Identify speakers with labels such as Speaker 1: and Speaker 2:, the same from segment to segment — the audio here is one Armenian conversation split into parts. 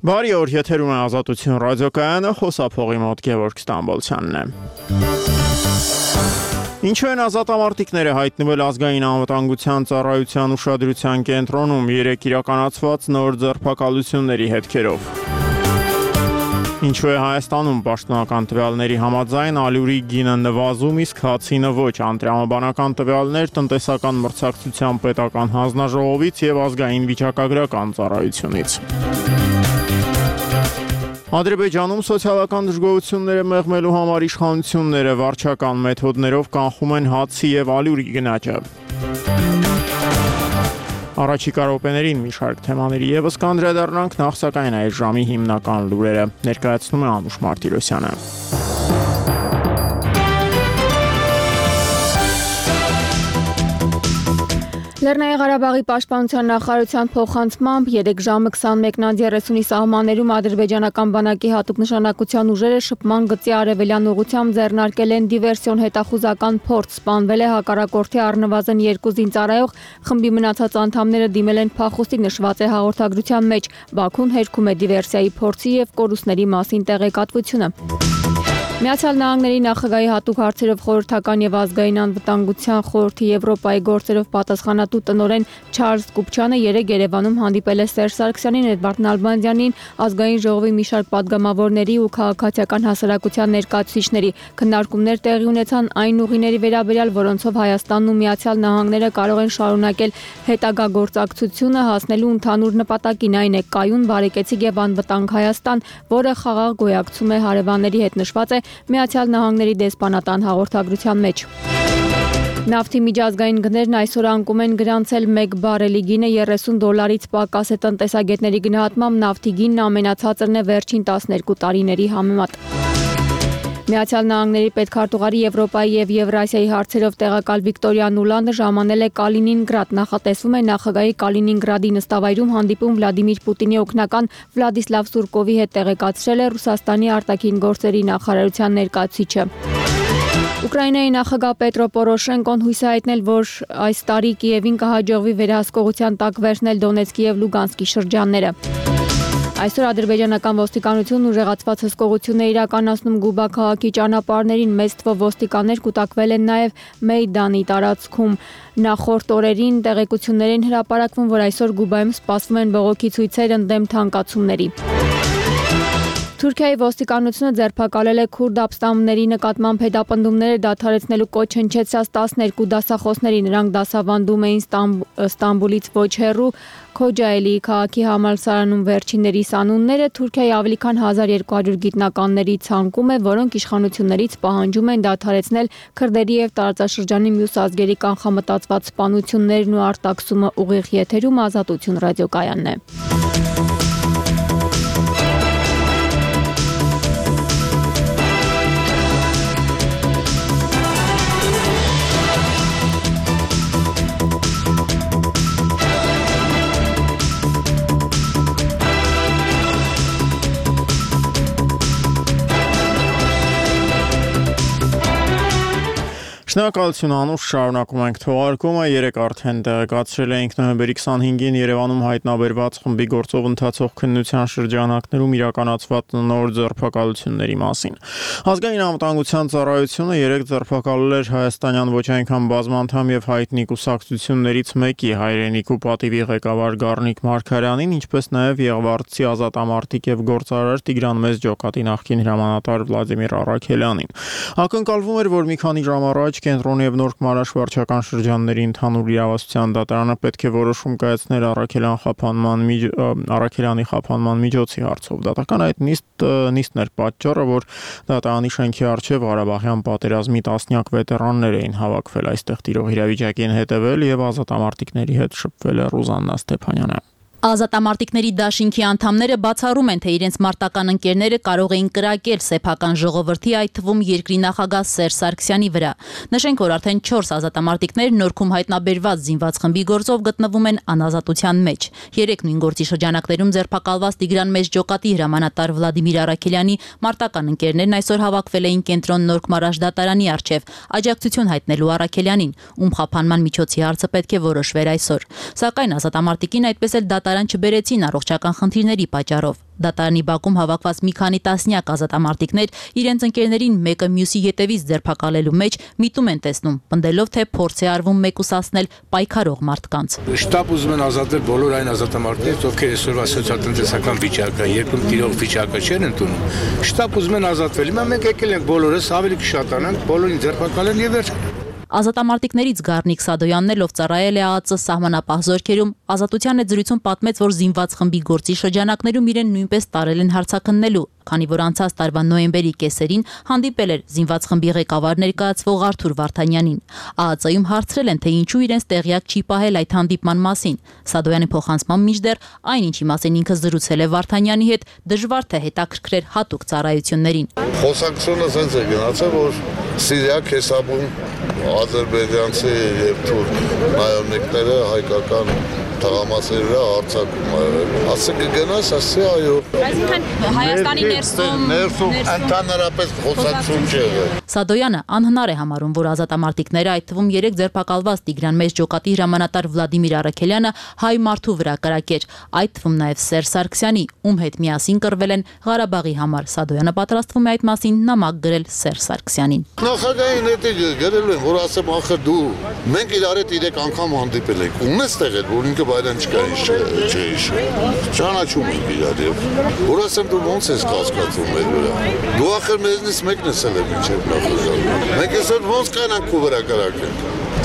Speaker 1: Բարի օր, եթերում է Ազատություն ռադիոկայանը, խոսափողի մոտ Գևորգ Ստամբոլցյանն է։ Ինչու են ազատամարտիկները հայտնվել ազգային անվտանգության ծառայության ուշադրության կենտրոնում 3 իրականացված նոր ձերբակալությունների հետքերով։ Ինչու է Հայաստանում պաշտոնական տվյալների համաձայն ալյուրի գինը նվազում, իսկ հացինը ոչ, անտրամաբանական տվյալներ տնտեսական մրցակցության պետական հանձնաժողովից եւ ազգային վիճակագրական ծառայությունից։ Ադրբեջանում սոցիալական դժգոհությունները մեղմելու համար իշխանությունները վարչական մեթոդներով կանխում են հացի եւ ալյուրի գնաճը։ Առաջիկա րոպեներին մի շարք թեմաների եւս կանդրադառնանք, նախ սակայն այս ժամի հիմնական լուրերը ներկայացնում է Անուշ Մարտիրոսյանը։
Speaker 2: Լեռնային Ղարաբաղի պաշտպանության նախարարության փոխանցմամբ 3 ժամը 21:30-ի սահմաններում ադրբեջանական բանակի հատուկ նշանակության ուժերը շփման գծի արևելյան ուղղությամբ ձեռնարկել են դիվերսիոն հետախուզական փորձ, սպանվել է հակառակորդի առնվազն 2 զինծառայող, խմբի մնացած անդամները դիմել են փախուստի, նշված է հաղորդագրության մեջ։ Բաքուն հերքում է դիվերսիայի փորձի եւ կորուստների մասին տեղեկատվությունը։ Միացյալ Նահանգների նախագահի հատուկ հարցերով խորհրդական եւ ազգային անվտանգության խորհրդի Եվրոպայի գործերով պատասխանատու տնօրեն Չարլզ Կուպչյանը երեկ Երևանում հանդիպել է Սերժ Սարգսյանին, Էդվարդ Նալբանդյանին, ազգային ժողովի մի շարք պատգամավորների ու քաղաքացիական հասարակության ներկայացուցիչների։ Քննարկումներ տեղի ունեցան այն ուղիների վերաբերյալ, որոնցով Հայաստանն ու Միացյալ Նահանգները կարող են շարունակել հետագա գործակցությունը հասնելու ընդհանուր նպատակին, այն է կայուն, բարեկեցիկ եւ անվտանգ Հայաստան, որը խաղաղ գոյակցում է հարևանների հետ, նշված է Միացյալ Նահանգների դեսպանատան հաղորդագրության մեջ։ Նավթի միջազգային գներն այսօր անկում են գրանցել 1 բարելի գինը $30 պակաս է տնտեսագետների գնահատմամբ, նավթի գինն ամենացածրն է վերջին 12 տարիների համեմատ։ Միացյալ Նահանգների պետքարտուղարի Եվրոպայի եւ Եվրասիայի հարցերով տեղակալ Վիկտորիա Նուլանդը ժամանել է Կալինինգրադ, նախատեսվում է նախագահի Կալինինգրադի նստավայրում հանդիպում Վլադիմիր Պուտինի օգնական Վլադիսլավ Սուրկովի հետ, տեղեկացրել է Ռուսաստանի արտաքին գործերի նախարարության ներկայացուցիչը։ Ուկրաինայի նախագահ Պետրո Պորոշենկոն հույս է հայտնել, որ այս տարի Կիևին կհաջողվի վերահսկողության տակ վերցնել Դոնեցկի եւ Լուգանսկի շրջանները։ Այսօր ադրբեջանական ոստիկանությունն ուժեղացված հսկողություն է իրականացնում Գուբա քաղաքի ճանապարհներին, մեծ թվով ոստիկաններ կուտակվել են նաև Մեյդանի տարածքում։ Նախորդ օրերին տեղեկություններ են հրապարակվում, որ այսօր Գուբայում սպասվում են բողոքի ցույցեր ընդդեմ թանկացումների։ Թուրքիայի ոստիկանությունը ձերբակալել է քուրդ ապստամբների նկատմամբ հետապնդումները դադարեցնելու կոչ հնչեցրած 12 դասախոսների, նրանք դասավանդում էին Ստամբուլից ոչ հեռու Քոջայելի քաղաքի համալսարանում վերջիններիս անունները Թուրքիայի ավելի քան 1200 գիտնականների ցանկում է, որոնք իշխանություններից պահանջում են դադարեցնել քրդերի եւ տարածաշրջանի մյուս ազգերի կանխամտածված սպանություններն ու արտաքսումը։ Ուղիղ եթերում Ազատություն ռադիոկայանն է։
Speaker 1: Շնորհակալություն Անուշ, շարունակում ենք թողարկումը։ Երեկ արդեն տեղեկացրել էինք նոյեմբերի 25-ին Երևանում հայտնաբերված խմբի գործով ընթացող քննության շրջանակներում իրականացված նոր ձերբակալությունների մասին։ Ազգային անվտանգության ծառայությունը երեկ ձերբակալել էր հայաստանյան ոչ այնքան բազմանդամ եւ հայտնի կուսակցություններից մեկի, Հայրենիք ու պատիվի ղեկավար Գառնիկ Մարգարյանին, ինչպես նաեւ Եղվարդցի ազատամարտիկ եւ գործարար Տիգրան Մեծջոկատի նախկին հրամանատար Վլադիմիր Առաքելյանին։ Ակնկալվում էր, որ մի քանի ժամ առաջ Կենտրոնի եւ Նոր Քմարաշ վարչական շրջանների ընդհանուր իրավասության դատարանը պետք է որոշում կայացներ Առաքելյանի խափանման միջոցի հարցով։ Դատական այդ նիստն էր պատճառը, որ դատարանի շենքի առջև Ղարաբաղյան պատերազմի տասնյակ վետերաններ էին հավաքվել, այստեղ տիրող իրավիճակին հետևել եւ ազատամարտիկների հետ շփվել է Ռուզաննա Ստեփանյանը։
Speaker 3: Ազատամարտիկների դաշինքի անդամները բացառում են, թե իրենց մարտական ընկերները կարող էին կրակել սեփական ժողովրդի, այդ թվում երկրի նախագահ Սերժ Սարգսյանի վրա։ Նշենք, որ արդեն 4 ազատամարտիկներ Նորքում հայտնաբերված զինված խմբի գործով գտնվում են անազատության մեջ։ 3 նույն գործի շրջանակներում ձերբակալված Տիգրան Մեծջոկատի հրամանատար Վլադիմիր Առաքելյանի մարտական ընկերներն այսօր հավաքվել էին Կենտրոն Նոր Քմարաշ դատարանի առջև աջակցություն հայտնելու Առաքելյանին, ում խափանման միջոցի հարցը պետք է որոշվեր այսօր։ Սակայն ազատամարտիկին այդպես էլ դատարան չբերեցին առողջական խնդիրների պատճառով։ Դատարանի բակում հավաքված մի քանի տասնյակ ազատամարտիկներ իրենց ընկերներին մեկը մյուսի ետևից ձերբակալելու մեջ միտում են տեսնում, պնդելով, թե փորձ է արվում մեկուսացնել պայքարող մարդկանց։
Speaker 4: Շտապ ուզում են ազատել բոլոր այն ազատամարտիկներից, ովքեր այսօրվա սոցիալ-տնտեսական վիճակը, երկրում տիրող վիճակը չեն ընդունում։ Շտապ ուզում են ազատվել։ Հիմա մենք եկել ենք բոլորս ավելի կշատանանք, բոլորին ձերբակալեն եւ վերջ։
Speaker 3: Ազատամարտիկներից Գառնիկ Սադոյանն էլ, ով ծառայել է ԱԱԾ սահմանապահ զորքերում, Ազատության եզրույցում պատմեց, որ զինված խմբի գործի շրջանակներում իրեն նույնպես տարել են հարցաքննելու, քանի որ անցած տարվա նոյեմբերի կեսերին հանդիպել էր զինված խմբի ղեկավար ներկայացվող Արթուր Վարդանյանին։ ԱԱԾ-ում հարցրել են, թե ինչու իրենց տեղյակ չի պահել այդ հանդիպման մասին։ Սադոյանի փոխանցման միջդեռ այն, ինչի մասին ինքը զրուցել է Վարդանյանի հետ, դժվար թե հետաքրքրեր հատուկ ծառայություններին։
Speaker 5: Խոսակցությունը ասենց է գնացել, որ Սիրիա քեսաբուն ադրբեջանցի եւ թուրք նայոնիկները հայկական թղամասերի վրա հարձակում արել։ Ասը կգնաս, ասի այո։
Speaker 3: Այսինքն Հայաստանի ներսում
Speaker 5: ընդհանրապես խոսակցություն չի եղել։
Speaker 3: Սադոյանը անհնար է համարում, որ ազատամարտիկները, այդ թվում 3 ձերբակալված Տիգրան Մեծ ջոկատի հրամանատար Վլադիմիր Արաքելյանը հայ մարդու վրա կրակեր, այդ թվում նաև Սերժ Սարգսյանի, ում հետ միասին կռվել են Ղարաբաղի համար։ Սադոյանը պատրաստվում է այդ մասին նամակ գրել Սերժ Սարգսյանին։
Speaker 5: Նախագահային հետ գրել են, որ ասեմ, ախր դու մենք իրար հետ 3 անգամ հանդիպել ենք։ Ունես տեղել, որ ինքը բայրան չկա չէ։ Ճանաչում ենք իրար եւ որ ասեմ դու ոնց ես կասկածում մեր վրա։ Դու ախր մեզնից մեկն ես ել մինչեւ նախագահ։ Մենք այսօր ոնց կանանք քո վրա կրակել։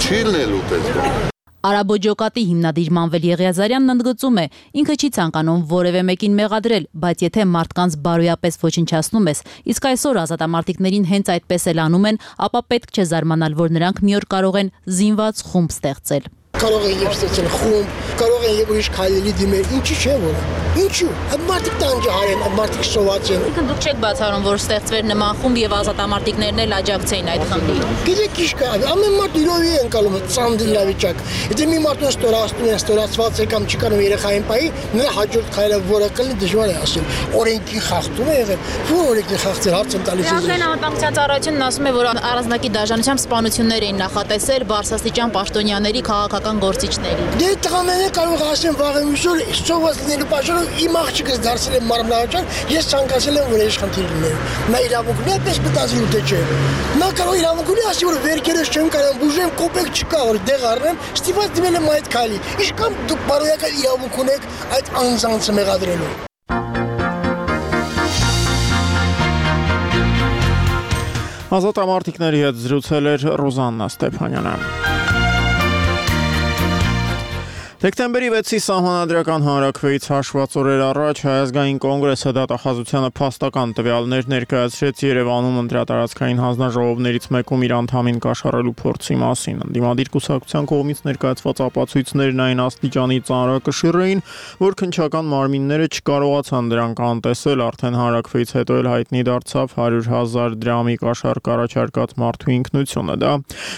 Speaker 5: Չի լինելու դες։
Speaker 3: Արաբո ջոկատի հիմնադիր Մանվել Եղիազարյանն ընդգծում է, ինքը չի ցանկանում որևէ մեկին մեղադրել, բայց եթե մարդկանց բարոյապես ոչնչացնում ես, իսկ այսօր ազատամարտիկներին հենց այդպես էլ անում են, ապա պետք չէ զարմանալ, որ նրանք մի օր կարող են զինված խումբ ստեղծել։
Speaker 6: Կարող են եւ ստեղծել խումբ, կարող են եւ ուրիշ քայլերի դիմել, ինչի՞ չէ որ։ Ինչու՞։ Այդ մարդիկ տանջահար են, այդ մարդիկ սոված են։
Speaker 3: Դուք չեք բացառում, որ ստեղծվեր նման խումբ եւ ազատամարտիկներն էլ աջակցեին այդ խմբին։
Speaker 6: Գիտեք ինչ կա, ամեն մարդ իրովի են կալում ծանր իրավիճակ։ Եթե մի մարդուն ստորացնում են, ստորացված է կամ չի կարող երեխային պայի, նրա հաջորդ քայլը որը կլինի դժվար է ասել։ Օրենքի խախտում է եղել, որ օրենքի խախտել հարց են տալիս։
Speaker 3: Ազգային անվտանգության ծառայությունն ասում է, որ առանձնակի դաշնությամբ սպանություններ էին նախատեսել բարձրաստիճան պաշտոնյաների քաղաքական գործիչների։
Speaker 6: Դե տղաները կարող ասեն վաղը միշտ սոված լինելու պատճառով իմ աղջիկս դարձել է մարմնավորական, ես ցանկացել եմ որ իշխանություն լինել։ Նա իրավունքն է պես մտածելու թե չէ։ Նա կարող իրավունք ունի ասի որ վերքերս չեմ կարող բուժեմ, կոպեկ չկա որ դեղ առնեմ, ստիպված դիմել եմ այդ քայլի։ Ինչքան դուք բարոյական իրավունք ունեք այդ անձանցը մեղադրելու։
Speaker 1: Ազատամարտիկների հետ զրուցել էր Ռոզաննա Ստեփանյանը։ Դեկտեմբերի 6-ի սահմանադրական հանրաքվեից հաշված օրեր առաջ Հայ ազգային կոնգրեսը դատախազությանը փաստական տվյալներ ներկայացրեց Երևանում ընտրատարածքային հանձնաժողովներից մեկում իր անդամին կաշառելու փորձի մասին։ Ընդդիմադիր կուսակցության կողմից ներկայացված ապացույցներն այն աստիճանի ծանրակշիռ էին, որ քննչական մարմինները չկարողացան դրանք անտեսել, արդեն հանրաքվեից հետո էլ հայտնի դարձավ 100,000 դրամի կաշառք առաջարկած մարդու ինքնությունը։ Դա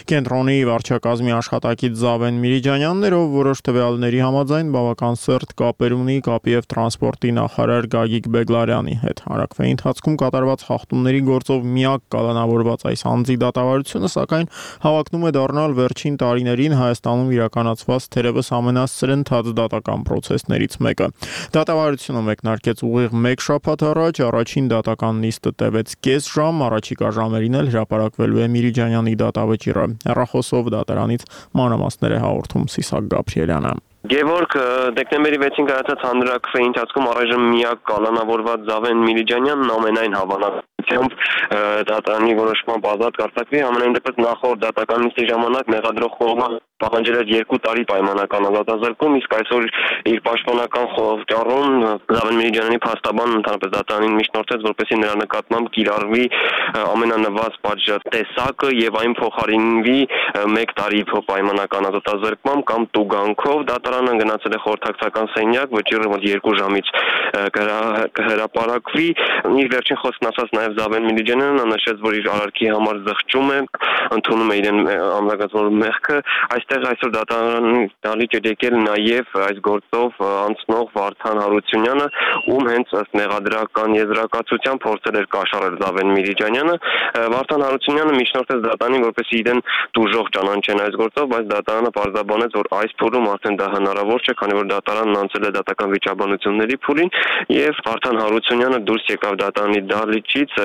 Speaker 1: կենտրոնի վարչակազմի աշխատակից Զավեն Միրիջանյանն էր, ով որոշ տվյալների համաձայն բավական սերտ կապեր ունի կապի եւ տրանսպորտի նախարար Գագիկ Բեգլարյանի հետ։ Հանրաքվեի ընթացքում կատարված խախտումների գործով միակ կալանավորված այս անձի դատավարությունը, սակայն հավակնում է դառնալ վերջին տարիներին Հայաստանում իրականացված թերևս ամենասրընթաց դատական պրոցեսներից մեկը։ Դատավարությունը մեկնարկեց ուղիղ 1 շաբաթ առաջ, առաջին դատական նիստը տևեց կես ժամ, առաջիկա ժամերին էլ հրապարակվելու է Միրիջանյանի դատավճիռը։ Հեռախոսով դատարանից մանրամասներ է հաղորդում Սիսակ Գաբրիելյանը։
Speaker 7: Գևորգ, դեկտեմբերի 6-ին կայացած հանրաքվեի ընթացքում առայժմ միակ կալանավորված Զավեն Միրիջանյանն ամենայն հավանականությամբ դատարանի որոշմամբ ազատ կարձակվի, ամենայն դեպս նախորդ դատական նիստի ժամանակ մեղադրող կողմը պահանջել էր 2 տարի պայմանական ազատազրկում, իսկ այսօր իր պաշտպանական խորհրդարանում Զավեն Միրիջանյանի փաստաբանն ընդհանրապես դատարանին միջնորդեց, որպեսզի նրա նկատմամբ կիրառվի ամենանվազ պատժատեսակը եւ այն փոխարինվի 1 տարի պայմանական ազատազրկմամբ կամ տուգանքով։ Դատարանը գնացել է խորհրդակցական սենյակ, վճիռը մոտ 2 ժամից կհրապարակվի։ Իր վերջին խոսքն ասաց նաև Զավեն Միլիջանյանը նշեց, որ իր արարքի համար զղջում է, ընդունում է իրեն ամրագրացնող մեղքը, այստեղ այսօր դատարանի դալիճ է եկել նաև այս գործով անցնող Վարդան Հարությունյանը, ում հենց ըստ մեղադրական եզրակացության փորձել էր կաշառել Զավեն Միլիջանյանը, Վարդան Հարությունյանը միջնորդեց դատարանին, որպեսզի իրեն դուժող ճանաչեն այս գործով, բայց դատարանը պարզաբանեց, որ այս փուլում արդեն դա հնարավոր չէ, քանի որ դատարանն անցել է դատական վիճաբանությունների փուլին, եւ Վարդան Հարությունյանը դուրս եկավ դատարանի դահլիճից,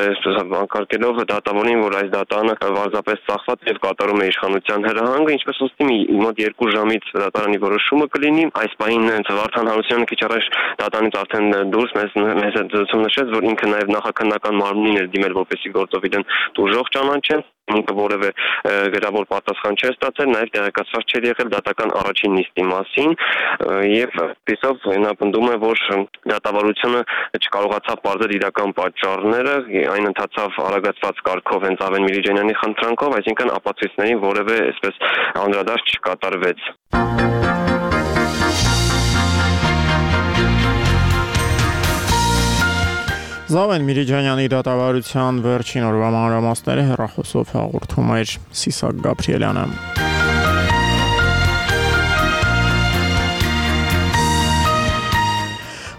Speaker 7: անկարգելով դատավորին, որ այս դատարանը պարզապես ծախված եւ կատարում է իշխանության հրահանգը, ինչպես ուստի մոտ 2 ժամից դատարանի որոշումը կլինի, այս պահին Վարդան Հարությունյանը քիչ առաջ դատարանից արդեն դուրս մեզ զրուցում նշեց, որ ինքը նաեւ նախաքննական մարմնին էր դիմել, որպեսզի գործով իրեն դուժող ճանաչեն, ինքը որևէ գրավոր պատասխան չէր ստացել, նաև տեղեկացված չէր եղել դատական առաջին նիստի մասին եւ այսով նա պնդում է, որ դատավարությունը չկարողացավ պարզել իրական պատճառները, այն ընթացավ արագացված կարգով հենց Զավեն Միլիջանյանի խնդրանքով, այսինքն ապացույցներին որևէ այսպես անդրադարձ չկատարվեց։
Speaker 1: Զավեն Միլիջանյանի դատավարության վերջին օրվա մանրամասները հեռախոսով հաղորդում էր Սիսակ Գաբրիելյանը։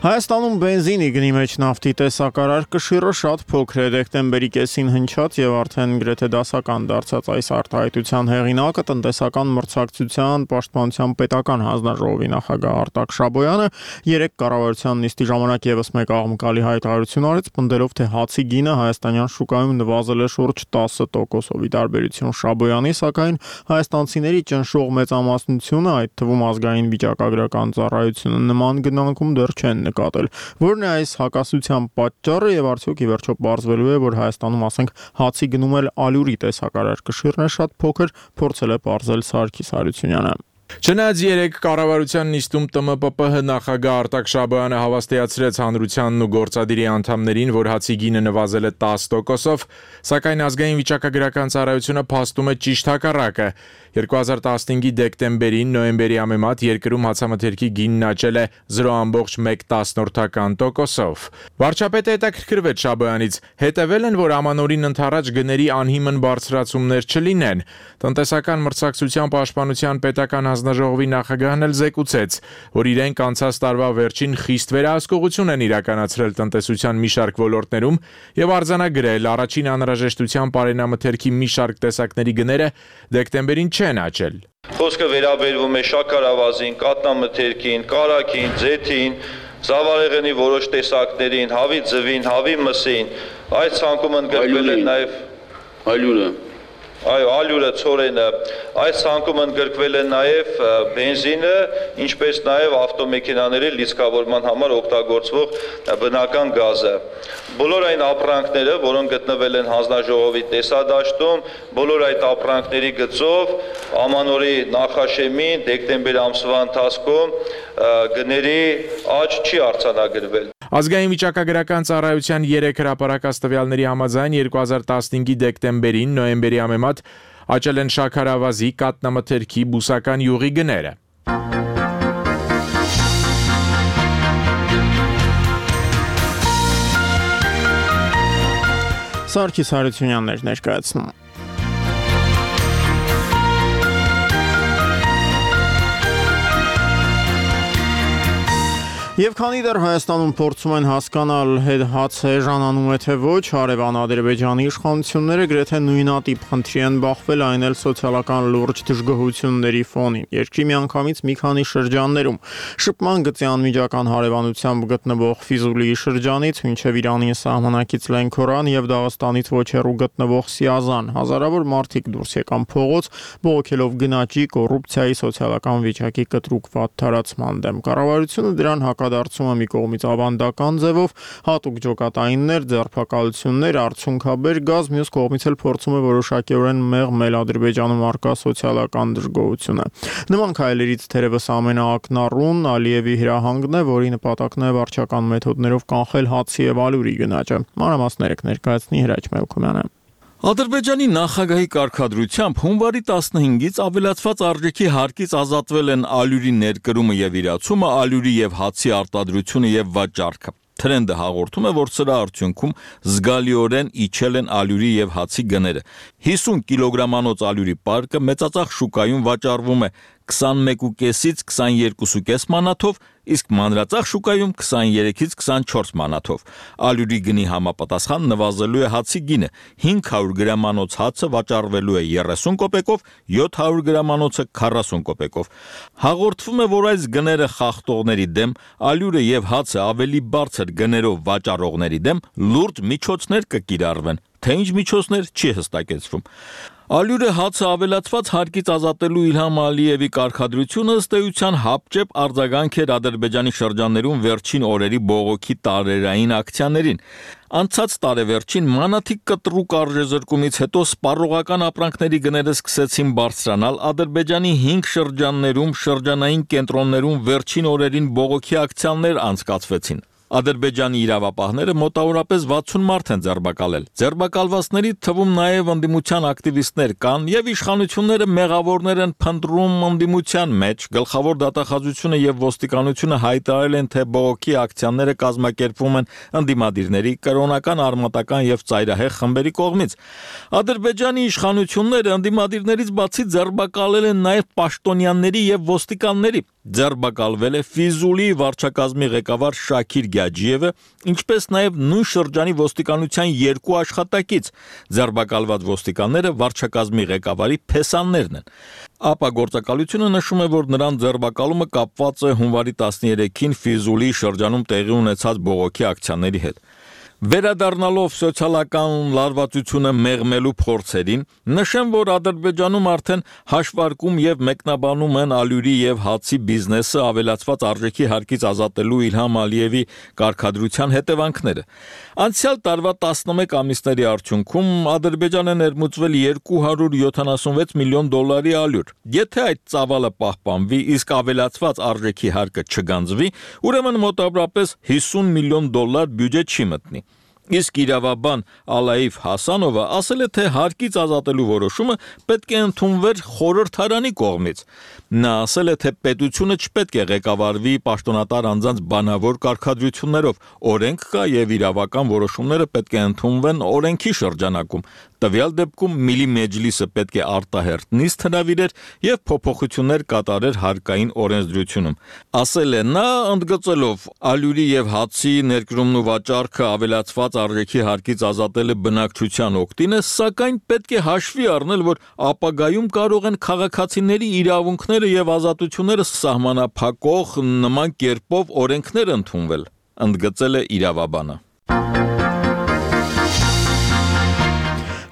Speaker 1: Հայաստանում բենզինի գնի մեջ նավթի տեսակարար կշիռը շատ փոքր է, դեկտեմբերի կեսին հնչած եւ արդեն գրեթե դասական դարձած այս արտահայտության հեղինակը տնտեսական մրցակցության պաշտպանության պետական հանձնաժողովի նախագահ Արտակ Շաբոյանը երեք կառավարության նիստի ժամանակ եւս մեկ աղմկալի հայտարարություն արեց, պնդելով, թե հացի գինը հայաստանյան շուկայում նվազել է շուրջ 10%-ով։ Ի տարբերություն Շաբոյանի, սակայն հայաստանցիների ճնշող մեծամասնությունը, այդ թվում ազգային վիճակագրական ծառայությունը, նման գնանկում դեռ չեն նկատել։ Որն է այս հակասության պատճառը եւ արդյոք ի վերջո պարզվելու է, որ Հայաստանում, ասենք, հացի գնում էլ ալյուրի տեսակարար կշիռն է շատ փոքր, փորձել է պարզել Սարգիս Հարությունյանը։
Speaker 8: Չնայած երեք կառավարության նիստում ՏՄՊՊՀ նախագահ Արտակ Շաբոյանը հավաստիացրեց հանրությանն ու գործադիրի անդամներին, որ հացի գինը նվազել է 10%-ով, սակայն ազգային վիճակագրական ծառայությունը փաստում է ճիշտ հակառակը։ 2015-ի դեկտեմբերին նոյեմբերի համեմատ երկրում հացամթերքի գինն աճել է 0.1%-ով։ Վարչապետը հետաքրքրվեց Շաբոյանից, հետևել են, որ ամանորին ընդառաջ գների անհիմն բարձրացումներ չլինեն։ Տնտեսական մրցակցության պաշտպանության պետական հանձնաժողովի նախագահն էլ զեկուցեց, որ իրենք անցած տարվա վերջին խիստ վերահսկողություն են իրականացրել տնտեսության մի շարք ոլորտներում եւ արձանագրել առաջին անհրաժեշտության պարենամթերքի մի շարք տեսակների գները դեկտեմբերին չեն աճել։
Speaker 9: Խոսքը վերաբերվում է շաքարավազին, կատնամթերքին, կարագին, ձեթին, զավարեղենի որոշ տեսակներին, հավի ձվին, հավի մսին, այս ցանկում ընդգրկվել են նաև ալյուրը։ Այո, ալյուրը, ցորենը, այս ցանկում ընդգրկվել է նաև բենզինը, ինչպես նաև ավտոմեքենաների լիցքավորման համար օգտագործվող բնական գազը։ Բոլոր այն ապրանքները, որոնք գտնվել են հանձնաժողովի տեսադաշտում, բոլոր այդ ապրանքների գծով ամանորի նախաշեմին դեկտեմբեր ամսվա ընթացքում գների աճ չի արձանագրվել։
Speaker 8: Ազգային վիճակագրական ծառայության 3 հրապարակած տվյալների համաձայն 2015-ի դեկտեմբերին նոյեմբերի համեմատ աճել են շաքարավազի, կատնամթերքի, բուսական յուղի գները։
Speaker 1: Սարգիս Հարությունյանն էր ներկայացնում։ Եվ քանի դեռ Հայաստանում փորձում են հասկանալ հաց էժանանում է թե ոչ, հարևան Ադրբեջանի իշխանությունները գրեթե նույնատիպ խնդրի են բախվել, այն էլ սոցիալական լուրջ դժգոհությունների ֆոնին։ Երկրի միանգամից մի քանի շրջաններում շփման գծի անմիջական հարևանությամբ գտնվող Ֆիզուլիի շրջանից մինչև Իրանի սահմանակից Լենքորան եւ Դաղստանից ոչ հեռու գտնվող Սիազան հազարավոր մարդիկ դուրս եկան փողոց, բողոքելով գնաճի, կոռուպցիայի, սոցիալական վիճակի կտրուկ վատ տարածման դեմ։ Կառավարությունը դրան հակադարձում է մի կողմից ավանդական ձևով, հատուկ ջոկատայիններ, ձերբակալություններ, արդյունքաբեր գազ, մյուս կողմից էլ փորձում է որոշակիորեն մեղմել Ադրբեջանում առկա սոցիալական դժգոհությունը։ Նման քայլերից թերևս ամենաակնառուն Ալիևի հրահանգն է, որի նպատակն է վարչական մեթոդներով կանխել հացի եւ ալյուրի գնաճը։ Մանրամասները կներկայացնի Հրաչ Մելքումյանը։
Speaker 10: Ադրբեջանի նախագահի կարգադրությամբ հունվարի 15-ից ավելացված արժեքի հարկից ազատվել են ալյուրի ներկրումը եւ իրացումը, ալյուրի եւ հացի արտադրությունը եւ վաճառքը։ Թրենդը հաղորդում է, որ սրա արդյունքում զգալիորեն իջել են ալյուրի եւ հացի գները։ 50 կիլոգրամանոց ալյուրի պարկը մեծածախ շուկայում վաճառվում է 21.5-ից 22.5 մանաթով, իսկ մանրածախ շուկայում 23-ից 24 մանաթով։ Ալյուրի գնի համապատասխան նվազելու է հացի գինը, 500 գրամանոց հացը վաճառվելու է 30 կոպեկով, 700 գրամանոցը 40 կոպեկով։ Հաղորդվում է, որ այս գները խախտողների դեմ, ալյուրը եւ հացը ավելի բարձր գներով վաճառողների դեմ լուրջ միջոցներ կկիրառվեն, թե ինչ միջոցներ չի հստակեցվում։ Ալյուրը հացը ավելացված հարկից ազատելու Իլհամ Ալիևի կարգադրությունը ըստ էության հապճեպ արձագանք էր Ադրբեջանի շրջաններում վերջին օրերի բողոքի տարերային ակցիաներին։ Անցած տարեվերջին մանաթիկ կտրուկ արժեզրկումից հետո սպառողական ապրանքների գները սկսեցին բարձրանալ, Ադրբեջանի 5 շրջաններում, շրջանային կենտրոններում վերջին օրերին բողոքի ակցիաներ անցկացվեցին։ Ադրբեջանի իրավապահները մոտավորապես 60 մարդ են ձերբակալել։ Ձերբակալվածների թվում նաև ընդդիմության ակտիվիստներ կան եւ իշխանությունները մեղավորներ են փնտրում ընդդիմության մեջ։ Գլխավոր դատախազությունը եւ ոստիկանությունը հայտարարել են, թե բողոքի ակցիաները կազմակերպվում են ընդդիմադիրների, կրոնական, արմատական եւ ծայրահեղ խմբերի կողմից։ Ադրբեջանի իշխանությունները ընդդիմադիրներից բացի ձերբակալել են նաև պաշտոնյաների եւ ոստիկանների։ Ձերբակալվել է Ֆիզուլի վարչակազմի ղեկավար Շաքիր Գաջիևը, ինչպես նաև նույն շրջանի ոստիկանության 2 աշխատակից։ Ձերբակալված ոստիկանները վարչակազմի ղեկավարի փեսաններն են։ ԱՊԱ գործակալությունը նշում է, որ նրան ձերբակալումը կապված է հունվարի 13-ին Ֆիզուլի շրջանում տեղի ունեցած բողոքի ակցիաների հետ։ Վերադառնալով սոցիալական լարվածությունը մեղմելու փորձերին, նշեմ, որ Ադրբեջանում արդեն հաշվարկում եւ մեկնաբանում են ալյուրի եւ հացի բիզնեսը ավելացված արժեքի հարկից ազատելու Իլհամ Ալիևի կարգադրության հետևանքները։ Անցյալ տարվա 11 ամիսների արդյունքում Ադրբեջանը ներմուծվել 276 միլիոն դոլարի ալյուր։ Եթե այդ ծավալը պահպանվի, իսկ ավելացված արժեքի հարկը չգանձվի, ուրեմն մոտավորապես 50 միլիոն դոլար բյուջե չի մտնի։ Իսկ իրավաբան Ալաիվ Հասանովը ասել է, թե հարկից ազատելու որոշումը պետք է ընդունվեր խորհրդարանի կողմից։ Նա ասել է, թե պետությունը չպետք է ղեկավարվի պաշտոնատար անձանց բանավոր կարգադրություններով, օրենք կա եւ իրավական որոշումները պետք է ընդունվեն օրենքի շրջանակում։ Տվյալ դեպքում Միլի Մեջլիսը պետք է արտահերթ նիստ հրավիրեր եւ փոփոխություններ կատարեր հարկային օրենսդրությունում։ Ասել է նա, ընդգծելով ալյուրի եւ հացի ներկրումն ու վաճառքը ավելացված արժեքի հարկից ազատելը բնակչության օգտին է, սակայն պետք է հաշվի առնել, որ ապագայում կարող են քաղաքացիների իրավունքները եւ ազատությունները սահմանափակող նման կերպով օրենքներ ընդունվել, ընդգծել է իրավաբանը։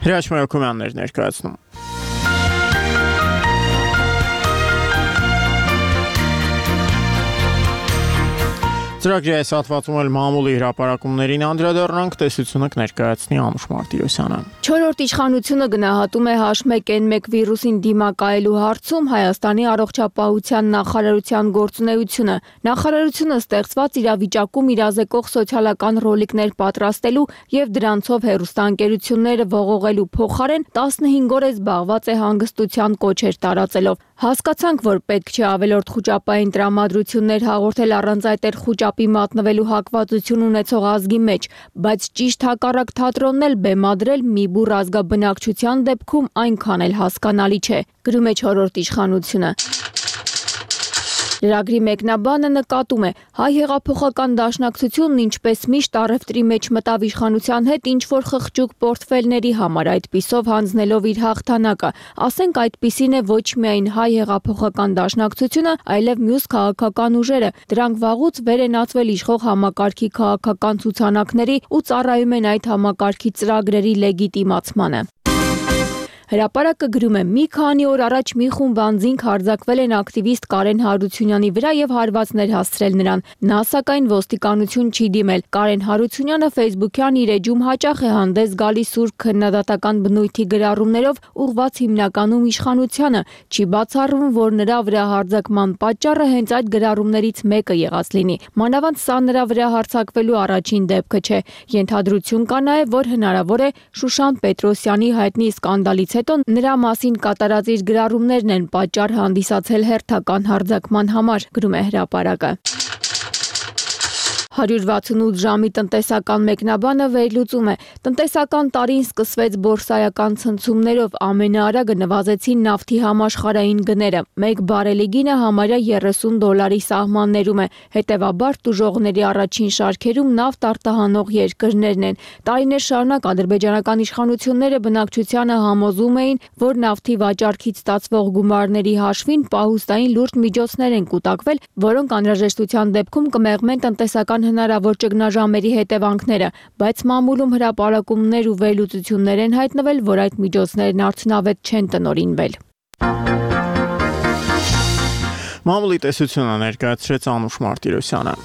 Speaker 1: Հրաշք Մայոկոյաններ ներկայացնում։ Ծրագրի այս հատվածում էլ մամուլի հրապարակումներին անդրադառնանք, տեսությունը կներկայացնի Անուշ Մարտիրոսյանը։
Speaker 2: 4-րդ իշխանությունը գնահատում է H1N1 վիրուսին դիմակայելու հարցում Հայաստանի առողջապահության նախարարության գործունեությունը։ Նախարարությունը ստեղծված իրավիճակում իրազեկող սոցիալական ռոլիկներ պատրաստելու եւ դրանցով հեռուստաընկերությունները ողողելու փոխարեն 15 օր է զբաղված է հանգստության կոչեր տարածելով։ Հասկացանք, որ պետք չէ ավելորդ խոճապային տրամադրություններ հաղորդել առանց այդ խոճապի մատնվելու հակվածություն ունեցող ազգի մեջ, բայց ճիշտ հակառակ թատրոնն էլ բեմադրել մի բուռ ազգաբնակչության դեպքում այնքան էլ հասկանալի չէ, գրում է 4-րդ իշխանությունը։ Լրագրի մեկնաբանը նկատում է, հայ հեղափոխական դաշնակցությունն ինչպես միշտ առևտրի մեջ մտավ իշխանության հետ ինչ-որ խղճուկ պորտֆելների համար, այդպիսով հանձնելով իր հաղթանակը։ Ասենք այդպիսին է ոչ միայն հայ հեղափոխական դաշնակցությունը, այլև մյուս քաղաքական ուժերը։ Դրանք վաղուց վեր են ածվել իշխող համակարգի քաղաքական ցուցանակների ու ծառայում են այդ համակարգի ծրագրերի լեգիտիմացմանը։ Հրապարակը գրում է, մի քանի օր առաջ մի խումբ անձինք հարձակվել են ակտիվիստ Կարեն Հարությունյանի վրա եւ հարվածներ հասցրել նրան։ Նա սակայն ոստիկանություն չի դիմել։ Կարեն Հարությունյանը Facebook-յան իր էջում հաճախ է հանդես գալիս սուրբ քննադատական բնույթի գրառումներով, ուղղված հիմնականում իշխանությանը։ Չի բացառվում, որ նրա վրա հարձակման պատճառը հենց այդ գրառումներից մեկը եղած լինի։ Մանավանդ սա նրա վրա հարձակվելու առաջին դեպքը չէ։ Ենթադրություն կա նաեւ, որ հնարավոր է Շուշան Պետրոսյանի հայտնի սկանդալից հետո նրա մասին կատարած իր գրառումներն են պատճառ հանդիսացել հերթական հարձակման համար, գրում է հրապարակը։ 168 ժամի տնտեսական մեկնաբանը վերլուծում է. տնտեսական տարին սկսվեց բորսայական ցնցումներով, ամենաարագը նվազեցին նավթի համաշխարհային գները, 1 բարելի գինը համարյա $30 սահմաններում է, հետևաբար տուժողների առաջին շարքերում նավթ արտահանող երկրներն են։ Տարիներ շարունակ ադրբեջանական իշխանությունները բնակչությանը համոզում էին, որ նավթի վաճառքից ստացվող գումարների հաշվին պահուստային լուրջ միջոցներ են կուտակվել, որոնք անհրաժեշտության դեպքում կմեղմեն տնտեսական հնարավոր ճգնաժամերի հետևանքները, բայց մամուլում հրապարակումներ ու վերլուծություններ են հայտնվել, որ այդ միջոցներն արդյունավետ չեն տնօրինվել։
Speaker 1: Մամուլի տեսությունը ներկայացրեց Անուշ Մարտիրոսյանը։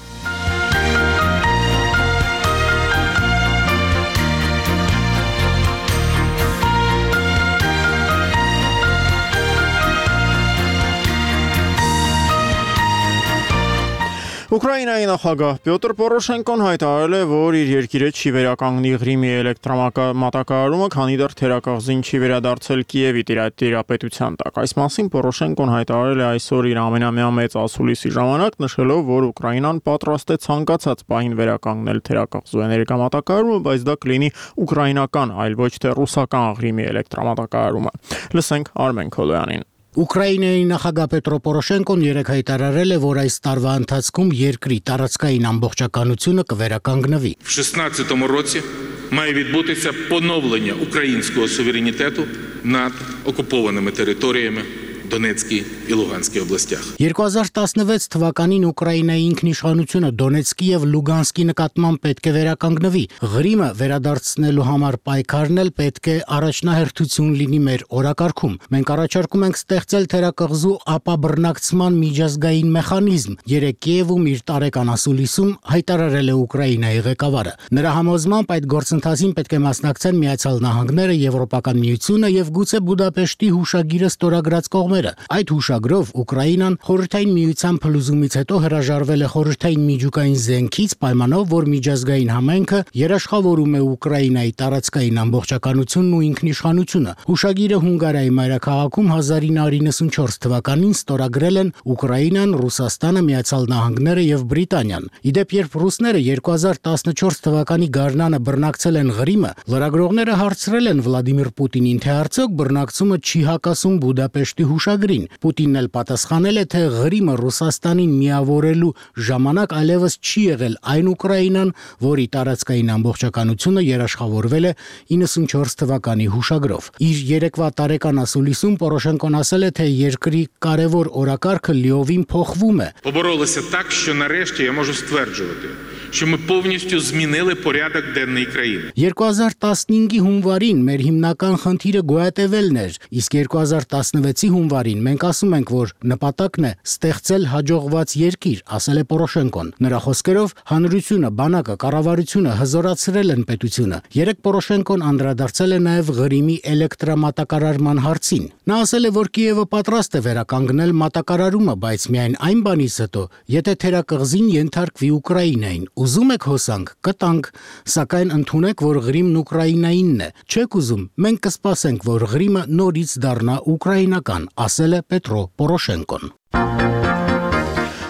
Speaker 1: Ուկրաինայի նախագահ Պյոտր Պորոշենկոն հայտարարել է, որ իր երկիրը չի վերականգնի Ղրիմի էլեկտրամատակարարումը, քանի դեռ թերակղզին չի վերադարձել Կիևի տիրապետության տակ։ Այս մասին Պորոշենկոն հայտարարել է այսօր իր ամենամյա մեծ ասուլիսի ժամանակ, նշելով, որ Ուկրաինան պատրաստ է ցանկացած պահին վերականգնել թերակղզու էներգամատակարարումը, բայց դա կլինի ուկրաինական, այլ ոչ թե ռուսական Ղրիմի էլեկտրամատակարարումը։ Լսենք Արմեն Քոլոյանին։
Speaker 11: Ուկրաինայի նախագահ Պետրո Պորոշենկոն երեկ հայտարարել է, որ այս տարվա ընթացքում երկրի տարածքային ամբողջականությունը կվերականգնվի։
Speaker 12: В 16-му році має відбутися поновлення українського суверенітету над окупованими територіями Դոնեցկի ու Լուգանսկի областях։
Speaker 11: 2016 թվականին Ուկրաինայի ինքնիշխանությունը Դոնեցկի եւ Լուգանսկի նկատմամբ պետք է վերականգնվի։ Ղրիմը վերադարձնելու համար պայքարն էլ պետք է առաջնահերթություն լինի մեր օրակարգում։ Մենք առաջարկում ենք ստեղծել թերակղզու ապաբռնակցման միջազգային մեխանիզմ։ Երեկ Կիևում իր տարեկան ասուլիսում հայտարարել է Ուկրաինայի ղեկավարը։ Նրա համոզմամբ այդ գործընթացին պետք է մասնակցեն Միացյալ Նահանգները, Եվրոպական միությունը եւ գուցե Բուդապեշտի հուշագիրը ստորագրած կողմերը։ Այդ հուշագրով Ուկրաինան խորհրդային միության փլուզումից հետո հրաժարվել է խորհրդային միջուկային զենքից պայմանով, որ միջազգային համայնքը երաշխավորում է Ուկրաինայի տարածքային ամբողջականությունն ու ինքնիշխանությունը։ Հուշագիրը Հունգարիայի մայրաքաղաքում 1994 թվականին ստորագրել են Ուկրաինան, Ռուսաստանը, Միացյալ Նահանգները եւ Բրիտանիան։ Իդեպ, երբ ռուսները 2014 թվականի գարնանը բռնակցել են Ղրիմը, լրագրողները հարցրել են Վլադիմիր Պուտինին, թե արդյոք բռնակցումը չի հակասում Բուդապեշտի Հուշագրին։ Պուտինն էլ պատասխանել է, թե Ղրիմը Ռուսաստանին միավորելու ժամանակ այլևս չի եղել այն Ուկրաինան, որի տարածքային ամբողջականությունը երաշխավորվել է 94 թվականի հուշագրով։ Իր երեկվա տարեկան ասուլիսում Պորոշենկոն ասել է, թե երկրի կարևոր օրակարգը լիովին փոխվում է։
Speaker 12: Поборолися так, що нарешті я можу стверджувати, що ми повністю змінили порядок денний країни։
Speaker 11: 2015-ի հունվարին մեր հիմնական խնդիրը գոյատևելն էր, իսկ 2016-ի հունվարին մենք ասում ենք, որ նպատակն է ստեղծել հաջողված երկիր, ասել է Պորոշենկոն։ Նրա խոսքերով հանրությունը, բանակը, կառավարությունը հզորացրել են պետությունը։ Երեկ Պորոշենկոն անդրադարձել է նաև Ղրիմի էլեկտրամատակարարման հարցին։ Նա ասել է, որ Կիևը պատրաստ է վերականգնել մատակարարումը, բայց միայն այն բանից հետո, եթե թերակղզին ենթարկվի Ուկրաինային։ Ուզում եք հոսանք, կտանք, սակայն ընդունեք, որ Ղրիմն Ուկրաինայինն է։ Չեք ուզում, մենք կսպասենք, որ Ղրիմը նորից դառնա ուկրաինական, ասել է Պետրո Պորոշենկոն։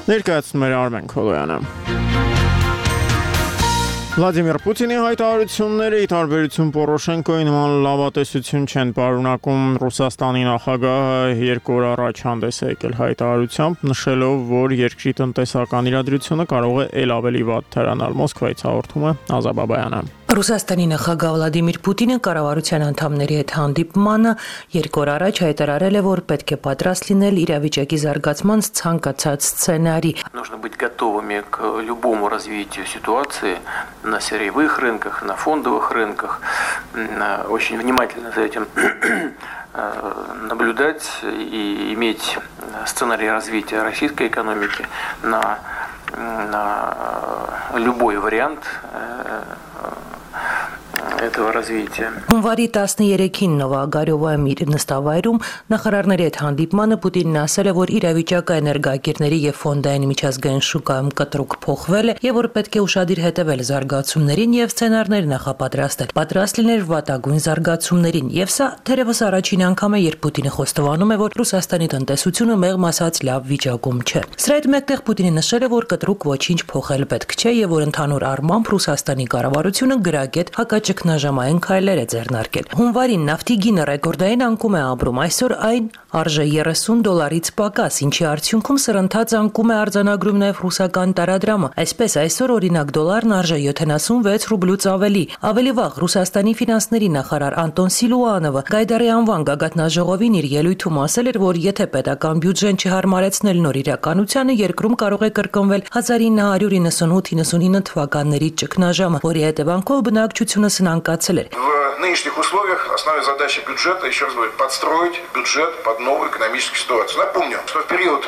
Speaker 1: Ներկայացնում էր Արմեն Քոլոյանը։ Վլադիմիր Պուտինի հայտարարությունները ի տարբերություն Պորոշենկոյի նման լավատեսություն չեն պարունակում։ Ռուսաստանի նախագահը 2 օր առաջ հանդես է եկել հայտարարությամբ, նշելով, որ երկրի տնտեսական իրադրությունը կարող է ել ավելի վատ թերանալ։ Մոսկվայից հաղորդում է Ազա Բաբայանը։
Speaker 13: Ռուսաստանի նախագահ Վլադիմիր Պուտինը կառավարության անդամների հետ հանդիպմանը 2 օր առաջ հայտարարել է, որ պետք է պատրաստ լինել իրավիճակի զարգացման ցանկացած սցենարի։
Speaker 14: Нужно быть готовыми к любому развитию ситуации на сырьевых рынках, на фондовых рынках. Очень внимательно за этим наблюдать и иметь сценарий развития российской экономики на любой вариант этого развития.
Speaker 13: Հունվարի 13-ին Նովագարյովայում իր նստավայրում նախարարների հետ հանդիպմանը Պուտինն ասել է, որ իրավիճակը էներգակիրների եւ ֆոնդային միջազգային շուկայում կտրուկ փոխվել է եւ որ պետք է ուշադիր հետեւել զարգացումներին եւ սցենարներ նախապատրաստել։ Պատրաստ լինել վատագույն զարգացումներին եւ սա թերևս առաջին անգամ է, երբ Պուտինը խոստովանում է, որ Ռուսաստանի տնտեսությունը մեղմ ասած լավ վիճակում չէ։ Սրա հետ մեկտեղ Պուտինը նշել է, որ կտրուկ ոչինչ փոխել պետք չէ եւ որ ընդհանուր առմամբ Ռուսաստանի կառավարությունը գրագետ հակաճգնաժամային քայլեր է ձեռնարկել։ Հունվարին նավթի գինը ռեկորդային անկում է ապրում, այսօր այն արժե $30 պակաս, ինչի արդյունքում սրընթաց անկում է արձանագրում նաև ռուսական տարադրամը։ Այսպես այսօր օրինակ դոլարն արժե 76 ռուբլուց ավելի։ Ավելի վաղ Ռուսաստանի ֆինանսների նախարար Անտոն Սիլուանովը Գայդարի անվան գագաթնաժողովին իր ելույթում ասել էր, որ եթե պետական բյուջեն չհարմարեցնել нոր իրականությանը, երկրում կարող է կրկնվել 1998-99 թվականների ճգնաժամը, որի հետևանքով բնակչությունը սնանկացել էր։
Speaker 15: В нынешних условиях основная задача бюджета, еще раз говорю, подстроить бюджет под новую экономическую ситуацию. Напомню, что в период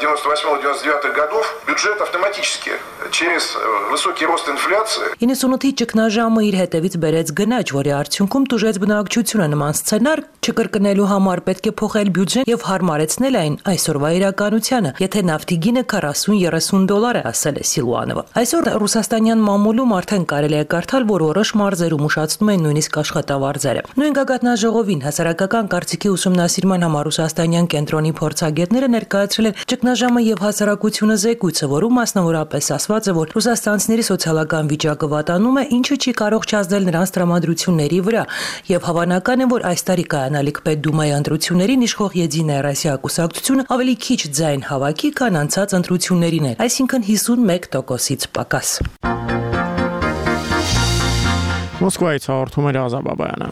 Speaker 15: 98-99 годов бюджет автоматически через высокий рост инфляции
Speaker 13: 98-ի ճգնաժամը իր հետևից բերեց գնաճ, որի արդյունքում տուժեց բնակչությունը նման սցենար չկրկնելու համար պետք է փոխել բյուջեն եւ հարմարեցնել այն այսօրվա իրականությանը, եթե նավթի գինը $40-30 է, ասել է Սիլուանովը։ Այսօր ռուսաստանյան մամուլում արդեն կարելի է կարդալ, որ որոշ մարզերում ուշացնում են նույնիսկ աշխատավարձերը։ Նույն գագաթնաժողովին հասարակական կարծիքի ուսումնասիրման համար ռուսաստանյան կենտրոնի փորձագետները ներկայացրել են ճգնաժամը եւ հասարակությունը զեկույցը, որում մասնավորապես ասված է, որ ռուսաստանցիների սոցիալական վիճակը վատանում է, ինչը չի կարող չազդել նրանց տրամադրությունների վրա, եւ հավանական է, որ այս տարի կայանալիք Պետդումայի ընտրություններին իշխող Եդինայա Ռոսիա կուսակցությունը ավելի քիչ ձայն հավաքի, քան անցած ընտրություններին էր, այսինքն 51%-ից պակաս։
Speaker 1: Մոսկվայից հաղորդում էր Ազա Բաբայանը։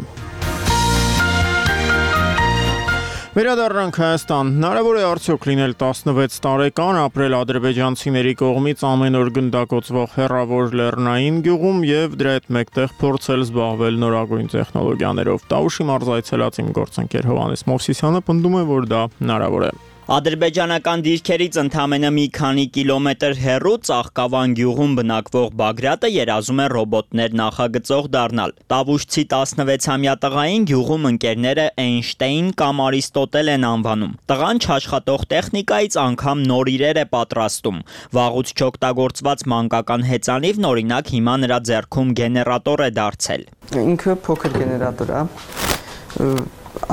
Speaker 1: Վերադառնանք Հայաստան։ Հնարավոր է արդյոք լինել 16 տարեկան, ապրել ադրբեջանցիների կողմից ամեն օր գնդակոծվող հեռավոր լեռնային գյուղում եւ դրա հետ մեկտեղ փորձել զբաղվել նորագույն տեխնոլոգիաներով։ Տավուշի մարզ այցելած իմ գործընկեր Հովհաննես Մովսիսյանը պնդում է, որ դա հնարավոր է։
Speaker 16: Ադրբեջանական դիրքերից ընդամենը մի քանի կիլոմետր հեռու Ծաղկավան գյուղում բնակվող Բագրատը երազում է ռոբոտներ նախագծող դառնալ։ Տավուշցի 16-ամյա տղային գյուղում ընկերները Էյնշտեյն կամ Արիստոտել են անվանում։ Տղան չաշխատող տեխնիկայից անգամ նոր իրեր է պատրաստում։ Վաղուց չօգտագործված մանկական հեծանիվն օրինակ հիմա նրա ձեռքում գեներատոր է դարձել։
Speaker 17: Ինքը փոքր գեներատոր է,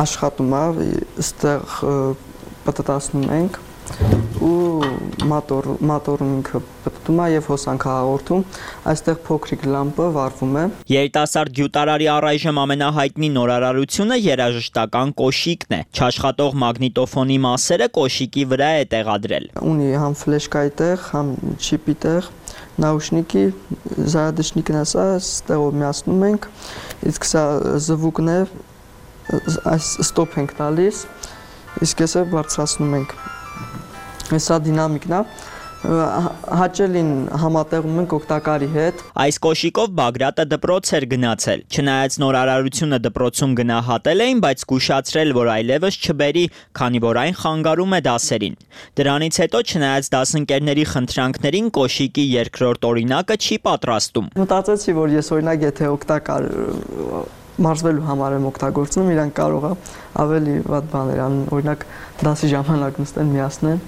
Speaker 17: աշխատում է, այստեղ պատտասնում ենք ու մոտորում ինքը պատտում է եւ հոսանք հաղորդում, այստեղ փոքրիկ լամպը վառվում է։
Speaker 16: Երիտասարդ գյուտարարի առայժմ ամենահայտնի նորարարությունը երաժշտական կոշիկն է։ Չաշխատող մագնիտոֆոնի մասերը կոշիկի վրա է տեղադրել։
Speaker 17: Ունի համ ֆլեշկայի տեղ, համ չիպի տեղ, նաուշնիկի, զարադաշնիկն է, սա ստեղով միացնում ենք, իսկ սա զվուկն է, այս ստոփ ենք տալիս, իսկ էսը բարձրացնում ենք։ Սա դինամիկն է, հաճելին համատեղում ենք օգտակարի հետ։
Speaker 16: Այս կոշիկով Բագրատը դպրոց էր գնացել։ Չնայած նորարարությունը դպրոցում գնահատել էին, բայց զգուշացրել, որ այլևս չբերի, քանի որ այն խանգարում է դասերին։ Դրանից հետո չնայած դասընկերների խնդրանքներին կոշիկի երկրորդ օրինակը չի պատրաստում։
Speaker 17: Մտածեցի, որ ես օրինակ եթե օգտակար մարզվելու համար եմ օգտագործում, իրանք կարող է ավելի վատ բաներ անեն, օրինակ դասի ժամանակ նստեն միացնեն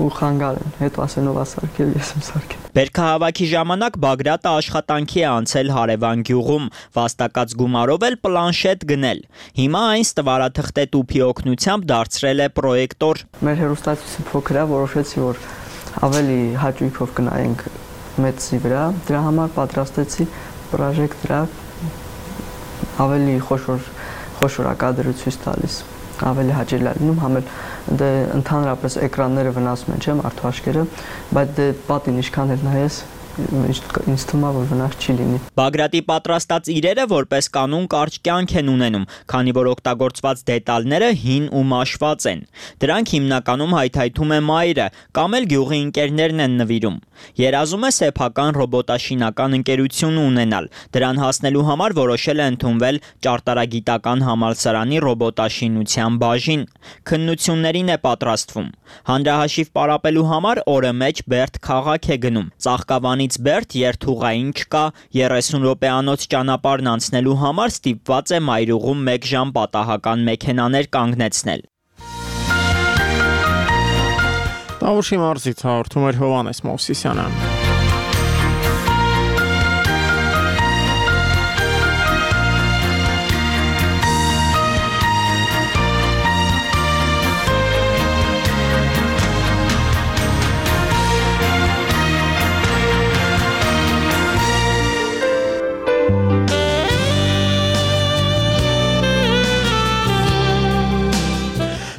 Speaker 17: ու խանգարեն, հետո ասեն ով է սարքել, ես եմ սարքել։
Speaker 16: Բերքահավաքի ժամանակ Բագրատը աշխատանքի է անցել Հարևան գյուղում, վաստակած գումարով էլ պլանշետ գնել։ Հիմա այն ստվարաթղթե տուփի օգնությամբ դարձրել է պրոյեկտոր։
Speaker 17: Մեր հեռուստացույցը փոքր է, որոշեցի, որ ավելի հաճույքով կնայենք մեծի վրա, դրա համար պատրաստեցի պրոժեկտոր, ավելի խոշոր կադրություն տալիս, ավելի հաճելի է լինում, համ էլ դե ընդհանրապես էկրանները վնասում են, չէ՞, մարդու աչքերը, բայց դե պատին ինչքան էլ նայես, ինձ թվում է, որ վնաս չի լինի։
Speaker 16: Բագրատի պատրաստած իրերը որպես կանոն կարճ կյանք են ունենում, քանի որ օգտագործված դետալները հին ու մաշված են։ Դրանք հիմնականում հայթայթում է մայրը կամ էլ գյուղի ընկերներն են նվիրում։ Երազում է սեփական ռոբոտաշինական ընկերություն ունենալ։ Դրան հասնելու համար որոշել է ընդունվել Ճարտարագիտական համալսարանի ռոբոտաշինության բաժին։ Քննություններին է պատրաստվում։ Հանրահաշիվ պարապելու համար օրը մեջ Բերդ քաղաք է գնում։ Ծաղկավանի Երևանից Բերդ երթուղային չկա, 30 րոպեանոց ճանապարհն անցնելու համար ստիպված է մայրուղում 1 ժամ պատահական մեքենաներ կանգնեցնել։
Speaker 1: Տավուշի մարզից հաղորդում էր Հովհաննես Մովսիսյանը։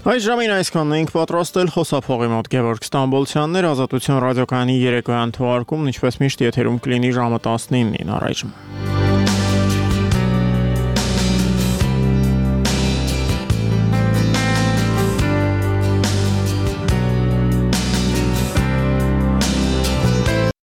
Speaker 1: Այս ժամին այսքանն ենք պատրաստել խոսափողի մոտ Գևորգ Ստամբոլցյաններ, Ազատություն ռադիոկայանի երեկոյան թողարկումն ինչպես միշտ եթերում կլինի ժամը 19-ին առայժմ։